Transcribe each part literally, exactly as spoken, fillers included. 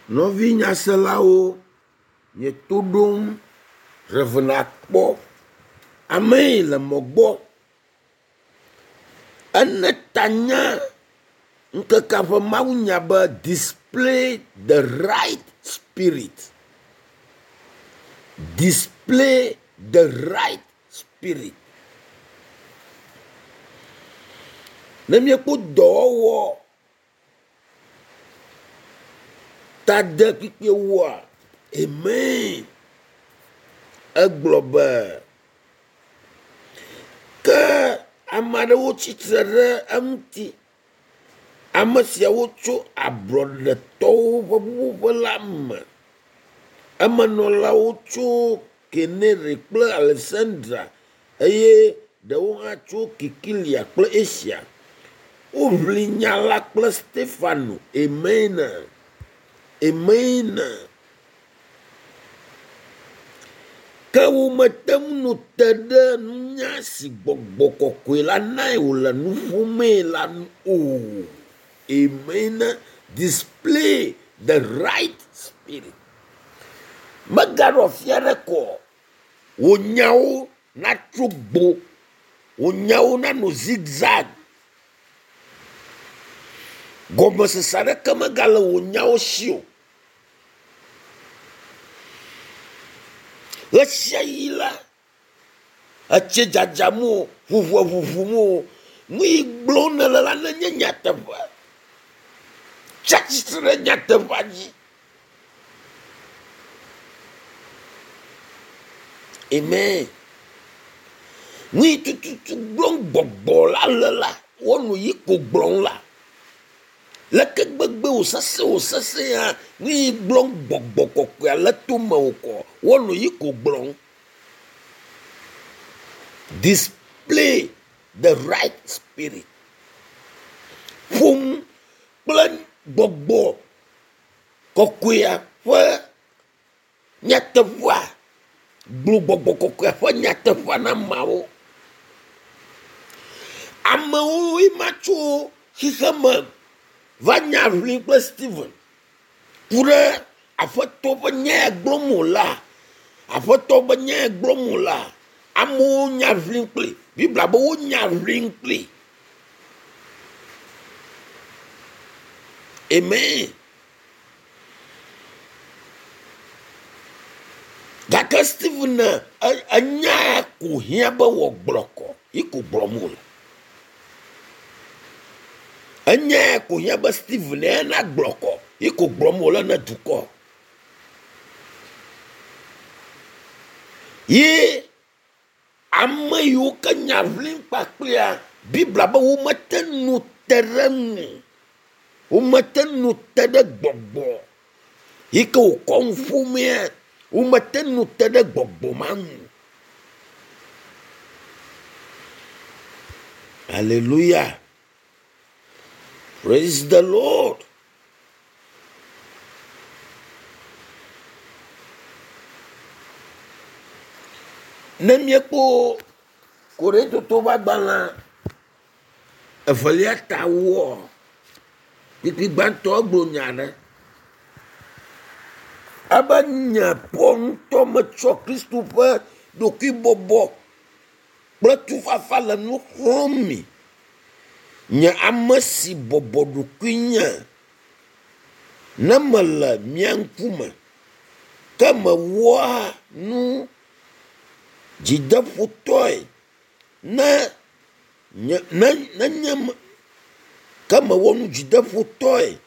Nɔvi nyaselawo, nye to ɖom Rev. Akpɔ. Ame yi le mɔ gbɔ. Ene ta nye ŋkekea ƒe mawunya be display the right spirit. Display the right spirit. Ne míekpɔ dɔwɔwɔ tade kpikpi woa, amen. Egblɔ be ke ame aɖewo tsitre ɖe eŋuti. Ame siawo tso ablɔɖetɔwo ƒe ƒuƒoƒe la me. Emenɔlawo tso Kenere kple Alexandra eye ɖewo hã tso Kikilia kple Asia. Woʋli nya la kple Stefano. Amen. Amen. Ke womete ŋu no te ɖe nunya si gbɔgbɔ kɔkɔe la nae wòle nu ƒomee la nu o. Amen. Display the right spirit. Megaɖo afi aɖe kɔ. Wò nyawo natso gbo. Wò nyawo nanɔ zigzag. Gɔmesese aɖeke megale wò nyawo si o. Ɣesiaɣi la, etsi dzadzam o, ʋuʋua ʋuʋum o. Nu yi gblɔm nèle la nenye nyateƒe. Tsi atsitre ɖe nyateƒea dzi. Amen. Nu yi tututu gblɔm gbɔgbɔ la le la, wɔ nu yi ko gblɔm la. Leke gbegbe wòsesẽ wòsesẽ hã, nu yi gblɔm gbɔgbɔ kɔkɔea le tome wò kɔ, wɔ nu yi ko gblɔm. Display the right spirit. Ƒo nu kple gbɔgbɔ kɔkɔea ƒe nyateƒea. Gblɔ gbɔgbɔ kɔkɔea ƒe nyateƒea na ameawo. Amewo ma tso xixeme va nya ʋli kple Stephen ku ɖe aƒetɔ ƒe nya ya gblɔm wòlea, aƒetɔ ƒe nya ya gblɔm wòlea, amewo nya ʋli kpli. Biblia be wonya ʋli kpli. Amen. Gake Stephen enya ya ko hiã be wòagblɔ kɔ, yi ko gblɔm wòle. Enya ya ko hiã be Stephen ya nagblɔ kɔ, yi ko gblɔm wòle ne dukɔ. Ye ame yiwo ke nya ʋlim kpakplia, Biblia be womete nu te ɖe ŋu. Womete nu te ɖe gbɔgbɔ yi ke wòkɔ nu ƒomea, womete nu te ɖe gbɔgbɔ ma ŋu. Hallelujah. Praise the Lord. Ne míekpɔ Korintotowo ƒe agbalẽ evelia ta woa, kpukpui gbãtɔ egblɔ nya aɖe. Ebe nye Paul ŋutɔ metsɔ Kristo ƒe ɖokuibɔbɔ kple tufafa le nu xlɔ̃m mi. Nye ame si bɔbɔ ɖokuinye ne mele mia ŋkume, ke mewɔa nu dzideƒotɔe ne nye ne nenye me ke mewɔ nu dzideƒotɔe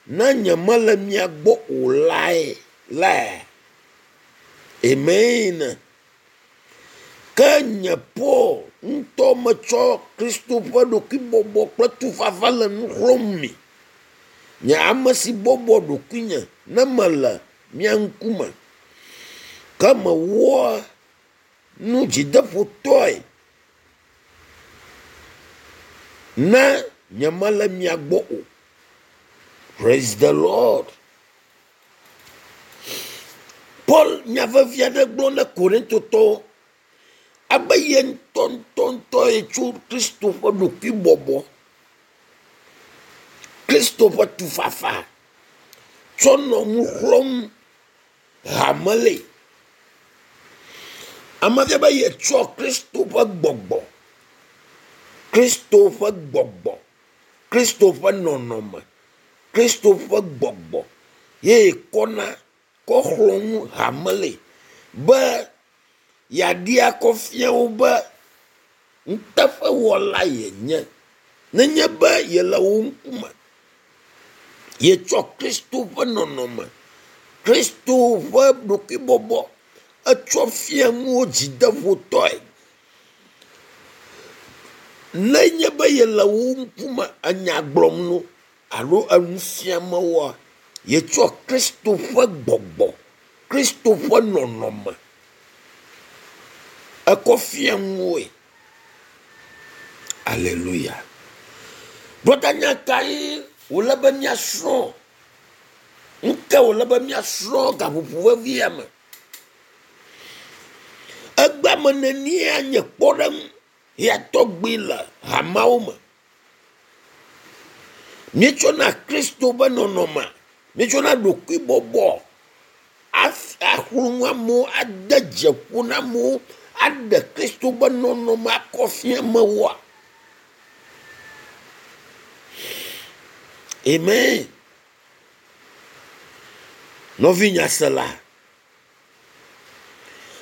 ne nye mele mia gbɔ o lae lae. Amen. Ke nye Paul ŋutɔ metsɔ Kristo ƒe ɖokuibɔbɔ kple tufafa le nu xlɔ̃m mi. Nye ame si bɔbɔ ɖokuinye ne mele mia ŋkume, ke mewɔa nu dzideƒotɔe ne nye mele mia gbɔ o. Praise the Lord. Paul nya vevi aɖe gblɔ ne Korintotɔwo abe ye ŋutɔ ŋutɔ ŋutɔ ye tso Kristo ƒe ɖokuibɔbɔ, Kristo ƒe tufafa tsɔ nɔ nu xlɔ̃m hame le. Ame fia be yetsɔ Kristo ƒe gbɔgbɔ, Kristo ƒe gbɔgbɔ, Kristo ƒe nɔnɔme, Kristo ƒe gbɔgbɔ ye kɔna kɔ xlɔ̃ nu hame le be yeaɖi akɔ fia wo be nuteƒewɔla yenye. Nenye be yele wo ŋkume, yetsɔ Kristo ƒe nɔnɔme, Kristo ƒe ɖokuibɔbɔ etsɔ fia nuwo dzideƒotɔe. Nenye be yele wo ŋkume enya gblɔm no alo enu fiame woa, yetsɔ Kristo ƒe gbɔgbɔ, Kristo ƒe nɔnɔme ekɔ fia nuwoe. Aleluya. Brɔda, nya kae wòle be míasrɔ̃? Nu ke wòle be míasrɔ̃ gaƒoƒo vevia me? Egbea me nenie nye kpɔɖeŋu ya tɔgbi le hameawo me. Míetsɔna Kristo ƒe nɔnɔme, míetsɔna ɖokuibɔbɔ axlɔ nu amewo, ade dze ƒo na amewo, aɖe Kristo ƒe nɔnɔme akɔ fia amewoa. Amen. Nɔvi nyasela,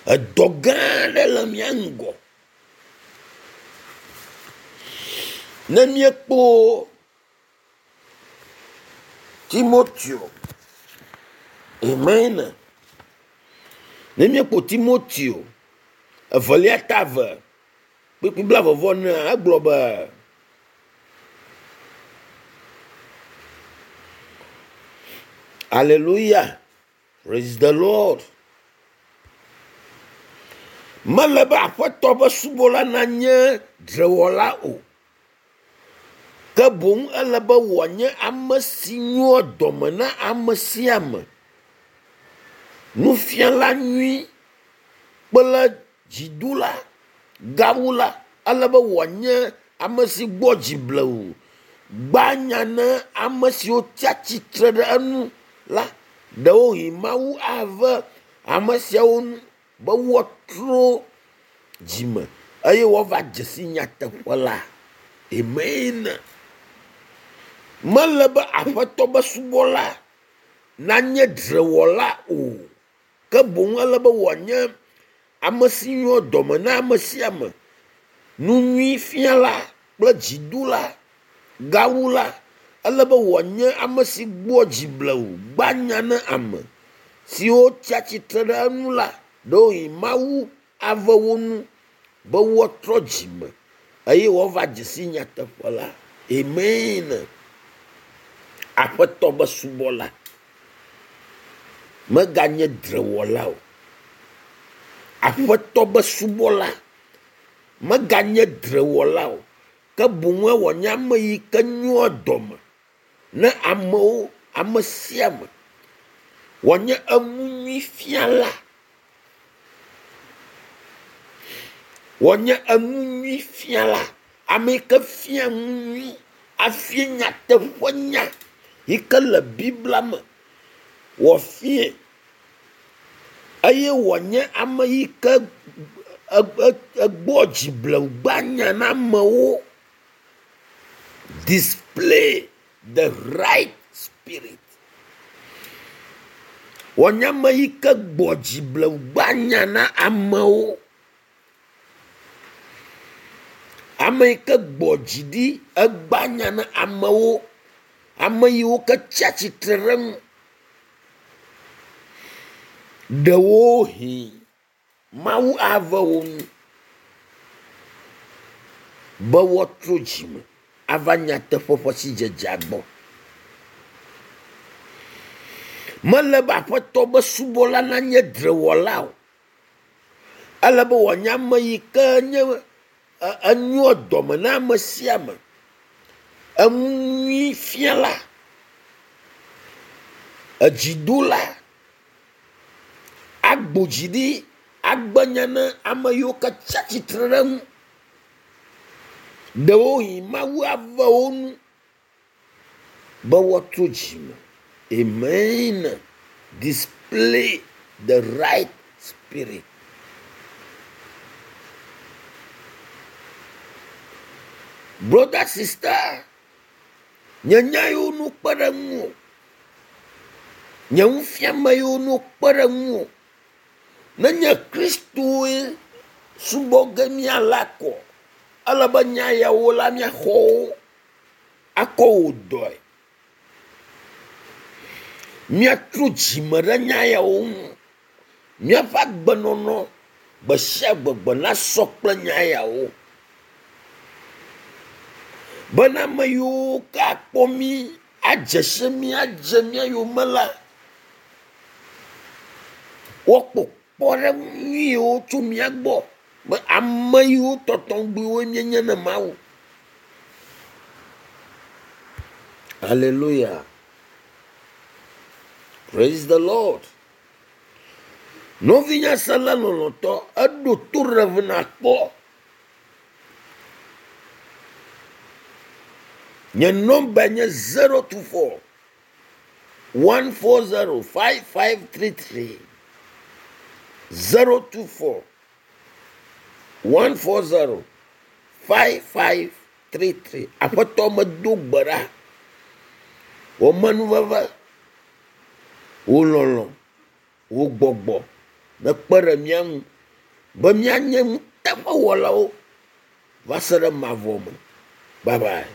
edɔ gã aɖe le mía ŋgɔ. Ne míekpɔ Timoteo, amen. Ne míekpɔ Timoteo evelia ta eve kpukpui blaeve vɔ enea, egblɔ be Hallelujah. Praise the Lord. Mele be aƒetɔ ƒe subɔla nanye dzrewɔla o. Ke boŋ ele be wòanye ame si nyoa dɔme na ame sia ame. Nufiala nyui kple dziɖula gawu la, ele be wòanye ame si gbɔ dzi blewu. Gba nya na ame siwo tsi atsitre ɖe enu la. Ɖewohĩ Mawu ave ame siawo nu be woatrɔ dzime eye woava dze si nyateƒe la. Amen. Mele be aƒetɔ be subɔla nanye dzrewɔla o. Ke boŋ ele be wòanye ame si nyoa dɔme na ame sia ame. Nu nyui fiala kple dziɖula gawu la, ele be wòanye ame si gbɔ dzi blewu, gba nya na ame siwo tsi atsitre ɖe enu la. Ɖewohĩ Mawu ave wo nu be woatrɔ dzime eye woava dze si nyateƒe la. Amen. Aƒetɔ be subɔla meganye dzrewɔla o. Aƒetɔ be subɔla meganye dzrewɔla o. Ke boŋ wòanye ame yi ke nyoa dɔme na amewo, ame sia ame. Wòanye enu nyui fiala. Wòanye enu nyui fiala. Ame yi ke fia nu nyui, afia nyateƒe nya yi ke le Biblia me. Wòafie eye wòanye ame yi ke egbɔ dzi blewu gba nya na amewo. Display the right spirit. Wòanye ame yi ke gbɔ dzi blewu gba nya na amewo. Ame yi ke gbɔ dzi ɖi egba nya na amewo. Ame yiwo ke tsi atsitre ɖe eŋu. Ɖewohĩ Mawu ave wo nu be woatrɔ dzime ava nyateƒe ƒe sidzedzea gbɔ. Mele be aƒetɔ be subɔla nanye dzrewɔla o. Ele be wòanye ame yi ke nye enyoa dɔme na ame sia ame. Enu nyui fiala, edziɖula, agbo dzi ɖi, agbe nya na ame yiwo ke tsi atsitre ɖe eŋu. Ɖewohĩ Mawu ave wo nu be woatrɔ dzime Amen. Display the right spirit. Brother, sister, nye nya yiwo nu kpe ɖe ŋuwò, nye nufiame yiwo nu kpe ɖe ŋuwò, nenye Kristoe subɔ ge míala kɔ, ele be nya yawo la míaxɔ wo akɔ wò dɔe. Míatrɔ dzime ɖe nya yawo ŋu. Míaƒe agbenɔnɔ gbe sia gbe gbe nasɔ kple nya yawo. Bena ame yiwo ke akpɔ mí, adze si mí, adze mía yome la, woakpɔ kpɔɖeŋu nyuiwo tso mía gbɔ be ame yiwo tɔtɔŋgbiwoe míenye ne Mawu. Hallelujah. Praise the Lord. Nɔvinyasela lɔlɔ̃tɔ, eɖo to Rev nakpɔ. Nye nɔmba nye zero two four one four zero five five three three zero two four one four zero five five three three. Aƒetɔ medo gbe ɖa. Wò menuveve, wò lɔlɔ̃, wò gbɔgbɔ nekpe ɖe mía ŋu be míanye nuteƒewɔlawo va se ɖe mavɔ me. Bye bye.